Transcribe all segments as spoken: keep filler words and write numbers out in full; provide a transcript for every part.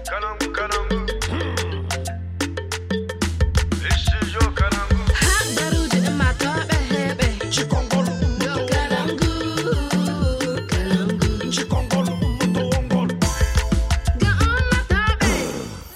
Kalangu, kalangu. Studio kalangu. Ha, baruuji ummaatooɓe heɓe. Cikongol ummaatooɓe. Kalangu, kalangu. Cikongol ummaatooɓe. Ga ummaatooɓe.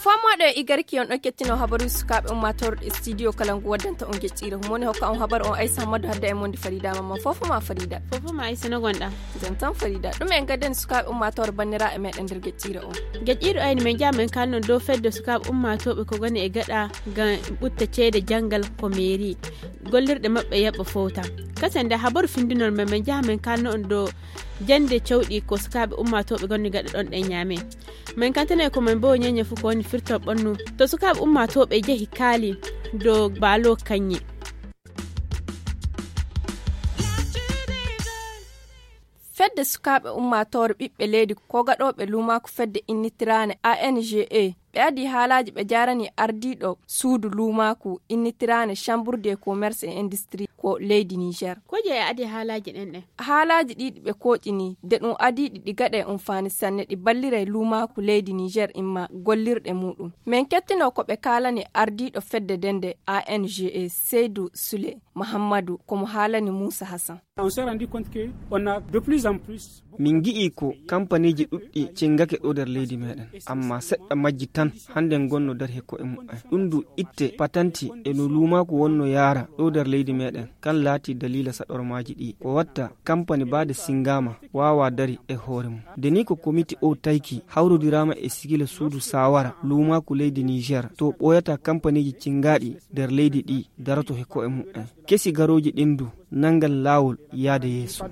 Fomooɗo e igarki on ɗon kettino habaruuji sukaaɓe ummaatooɓe e studio kalangu waddanta on geƴƴiire. Humone hokka on habaru on Aisa Hammadu hadda e monde Farida Mamman. Fofo ma Farida. Fofo ma Aisa no gonɗa. Jam tan Farida. Ɗum en gadden sukaaɓe ummaatooɓe banniraaɓe meɗen nder geƴƴiire on. Geƴƴiiɗo ayni men njaha men kaalno ɗum dow fedde sukaaɓe ummaatooɓe ko ngoni e gaɗa ngam ɓutta ceede janngal ko meeri. Gollirɗe maɓɓe yaɓɓa fowta. Kasen nde habaru findinol men men njaha men kaalno ɗum dow jannde cawɗi ko sukaaɓe ummaatooɓe ngoni gaɗa ɗon ɗen ñaame. Men kantane ko men mbo ñeñe fu ko woni firtol ɓannu. To sukaaɓe ummaatooɓe njehi kaali dow baalo kañŋe. Fedde sukaaɓe ummaatoore ɓiɓɓe leydi ko gaɗooɓe luumaaku fedde innitiraane A N G E. Ɓe adii haalaaji ɓe jaarani ardiiɗo suudu luumaaku innitiraane Chambre de Commerce et Industrie ko leydi Niger. Ko je e adii haalaaji ɗen ɗen? Haalaaji ɗi ɗi ɓe kooƴini de ɗum adii ɗi ɗi gaɗa e umfaani sanne ɗi ballira e luumaaku leydi Niger imma gollirɗe muuɗum. Men kettino ko ɓe kaalani ardiiɗo fedde dende A N G E Seydou Soule Mahamadou ko mo haalani Moussa Hassan. On s'est rendu compte que on a de plus en plus. Min ngi'i ko kampaniiji ɗuɗɗi cingake ɗo nder leydi meɗen, amma seɗɗa majji tan hannde ngonno dari he ko'e mumen. Ɗum ndu itte patanti e no luumaaku wonno yaara ɗo nder leydi meɗen, kan laati daliila saɗormaaji ɗi. Ko watta kampani baade singaama waawa dari e hoore mum. Nde ni ko komiti o tayki hawrodiraama e sigila suudu saawara luumaaku leydi Niger, to ɓooyata kampaniiji cingaaɗi nder leydi ɗi daroto he ko'e mumen. Kesi garooji ɗin du nanngan laawol yaade yeeso.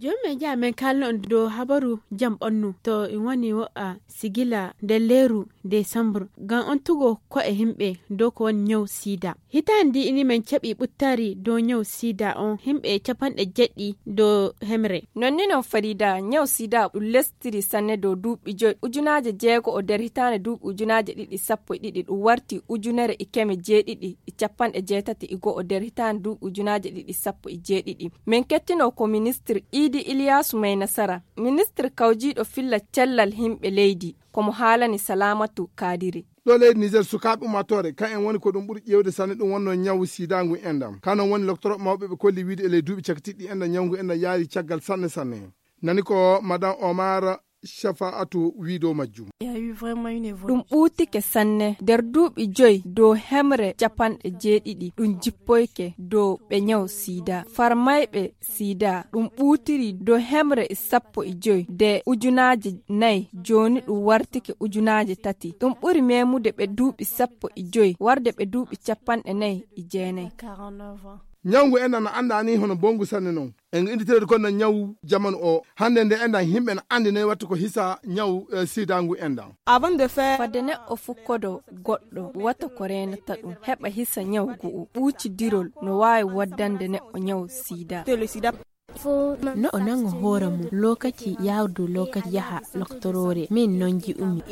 Jooni men njaha men kaalno on dow habaru jam ɓannu to en woni wo'a sigila nder leeru desambur ngam on tugo ko'e himɓe dow ko woni ñaw sida. Hitaande ndi ini men caɓi ɓuttari dow ñaw sida on himɓe capanɗe jeɗɗi dow hemre. Non ni non Farida, ñaw sida ɗum lestiri sanne dow duuɓi joy, ujunaaje jeego o nder hitaande duuɓi ujunaaje ɗiɗi sappo e ɗiɗi, ɗum warti ujunere e keme jeeɗiɗi e capanɗe jeetati e go'o nder hitaande duuɓi ujunaaje ɗiɗi sappo e jeeɗiɗi. Min kettino ko ministir Idi Iliyasu May Nasara, ministir kawjiiɗo filla cellal himɓe leydi, ko mo haalani Salamatu Kadiri. Ɗo leydi Niger, sukaaɓe ummaatoore, kan en woni ko ɗum ɓuri ƴeewde sanne, ɗum wonno ñawu sida ngu enɗam. Kanon woni loktoro mawɓe ɓe kolli wiide e ley duuɓi cakitiɗi enɗam, ñawu ngu enɗam yaari caggal sanne sanne. Nani ko Madame Omar Shafa'atu wiido majjum. Ɗum ɓuutike sanne nder duuɓi joy dow hemre capanɗe jeeɗiɗi ɗum jippoyke dow ɓe ñaw sida. Farmayɓe sida ɗum ɓuutiri dow hemre e sappo e joy de ujunaaje nayi, jooni ɗum wartike ujunaaje tati. Ɗum ɓuri memude ɓe duuɓi sappo e joy warde ɓe duuɓi capanɗe nayi e jeenayi. Ñawngu enɗam no anndaa ni hono bonngu sanne non. E ngu innditeeri kono ñawu jamanu o. Hannde nde enɗam yimɓe no anndi noy watta ko hisa ñawu, eh, sidangu enɗam. Avant de faire fadde neɗɗo fukkodo goɗɗo wata ko reenata ɗum heɓa hisa ñaw gu'u ɓuucidirol no waawi waddande neɗɗo ñaw sida. No o nango hoore mum lokaci yawdu lokaci yaha loktoroore min non ji'umi.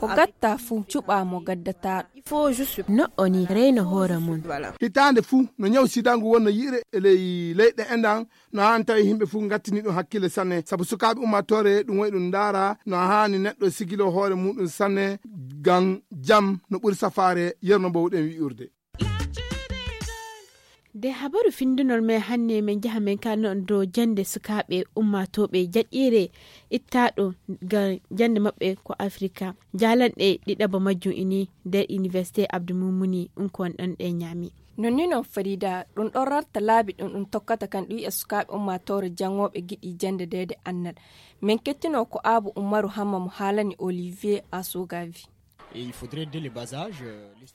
Ko gatta fuu cuɓa mo gaddata. No o ni reyno hoore mum. Hitaande fuu no ñaw sidangu wonno yi're e ley leyɗe enɗam. No haani tawi yimɓe fuu ngattini ɗum hakkille sanne sabu sukaaɓe ummaatoore ɗum wayi ɗum ndaara no haani neɗɗo sigilo hoore muɗum sanne ngam jam no ɓuri safaare yerno mbowɗen wi'urde. De habaru findunol men hannde men njaha men kaalno on dow jannde sukaaɓe ummaatooɓe jaɗɗiire ittaaɗo ngam jannde maɓɓe ko Afrika. Jaalanɗe ɗiɗaɓa majjum ini nder Université Abdou Moumouni ɗum ko on ɗon ɗe ñaami. Non ni non Farida, ɗum ɗon rarta laabi ɗum ɗum tokkata kan ɗum yi'a sukaaɓe ummaatoore janngooɓe giɗi jannde deede annal. Min kettino ko Abu Umaru Hamma mo haalani Olivier Asogavi.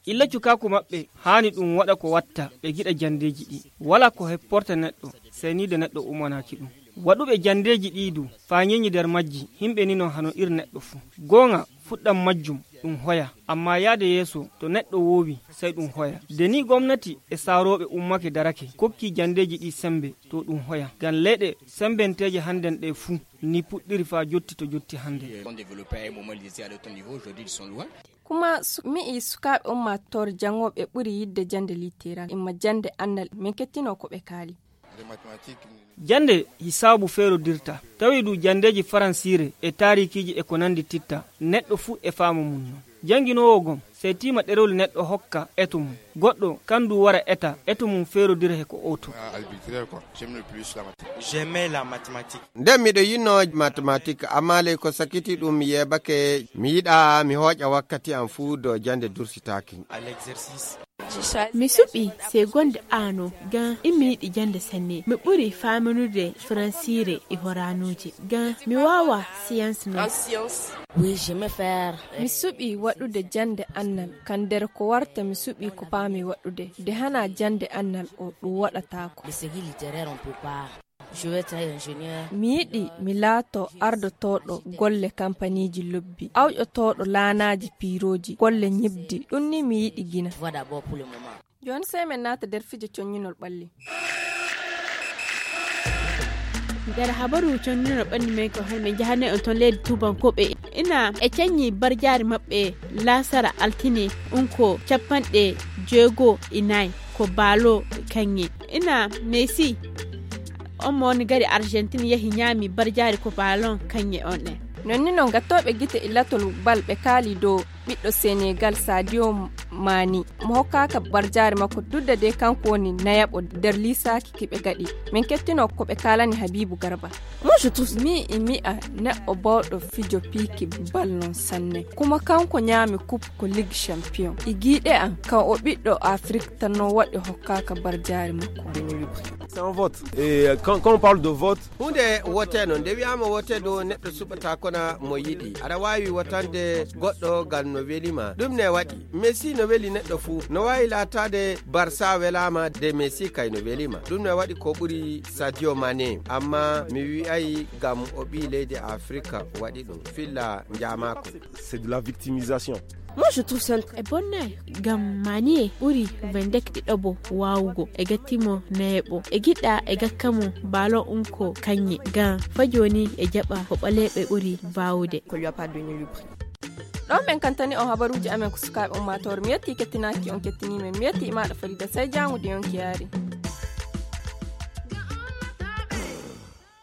Illa cukaaku maɓɓe haani ɗum waɗa ko watta ɓe giɗa janndeeji ɗi. Wala ko hepporta neɗɗo sey ni de neɗɗo umanaaki ɗum. Waɗuɓe janndeeji ɗi du faa ñeñi nder majji himɓe ni non hano ir neɗɗo fuu. Gooŋa fuɗɗam majjum ɗum hoya, amma yaade yeeso to neɗɗo woowi sey ɗum hoya. De ni gomnati e saarooɓe ummake darake kokki janndeeji ɗi semmbe to ɗum hoya. Ngam leyɗe semmbenteeje hannden ɗe fuu ni puɗɗiri faa jotti to jotti hannde. Kuma mi'i sukaaɓe ummaatoore janngooɓe ɓuri yiɗde jannde littéral imma jannde annal min kettino ko ɓe kaali. Jannde hisaabu feerodirta, tawi du janndeeji faransiire e taarikiiji e ko nanndi titta, neɗɗo fuu e faamu mum non. Jannginoowo gom, sey tiima ɗerewol neɗɗo hokka eto mum. Goɗɗo kan du wara eta, eto mum feerodira he ko oto. Nden miɗo yinnoo matematik, amma ley ko sakiti ɗum mi yeebake, mi yiɗa mi hooƴa wakkati am fuu do jannde dursitaaki. Mi suɓi segonde ano gan immi yiɗi jannde sanne. Mi ɓuri faaminude faransiire e horanuuje gan mi waawa science non. Mi suɓi waɗude jannde annal kan nder ko warta mi suɓi ko paami waɗude de hana jannde annal o ɗum waɗataako. Mi yiɗi mi laato ardotooɗo golle kampaniiji lobbi, awƴotooɗo laanaaji piirooji, golle ñibdi, ɗum ni mi yiɗi gina. Jooni sey men naata nder fijo conñinol ɓalli. Nder habaru conñinol ɓalli men ko hannde men njahane on toon leydi tubankooɓe ina e caññi barjaari maɓɓe laasara altine unko capanɗe jeego e nayi ko baalo kaŋŋe ina Messi on mo woni gari Argentine yahi ñaami barjaari ko baalon kaŋŋe on ɗen. Non ni non gattooɓe gite e latol bal ɓe kaali dow ɓiɗɗo Senegal Sadio Mani mo hokkaaka barjaari makko dudda de kanko woni nayaɓo nder liisaaki ki ɓe gaɗi. Min kettino ko ɓe kaalani Habibu Garba. Moi je trouve mi e mi'a neɗɗo bawɗo fijo piiki bal non sanne kuma kanko ñaami coupe ko ligue champion e giiɗe an kan o ɓiɗɗo Afrique tan non waɗi hokkaaka barjaari makko. C'est un vote. Et quand, quand on parle de vote, hunde wote no nde wiyama wote ɗo neɗɗo suɓata kona mo yiɗi aɗa wawi wotande goɗɗo ngal no welima ɗum ne waɗi. Messi no weli neɗɗo fuu no wawi latade barsa welama de Messi kay no welima ɗum ne waɗi ko ɓuri Sadio Mane amma mi wi'ay ngam o ɓi leydi Afrika waɗi ɗum filla njamako. C'est de la victimisation. Moi je trouve ça e bonnay ngam Manie ɓuri vendek ɗiɗoɓo wawugo e gattimo nayeɓo e giɗɗa e gakkamo ballon unko kaŋŋe ngam fa joni e jaɓa ko ɓaleɓe ɓuri bawude. Ɗo men kantani on habaruji amen ko sukaɓe ummatore mi yetti kettinaaki on kettini men mi yetti imaɗo farida sai jangude yonki yaari.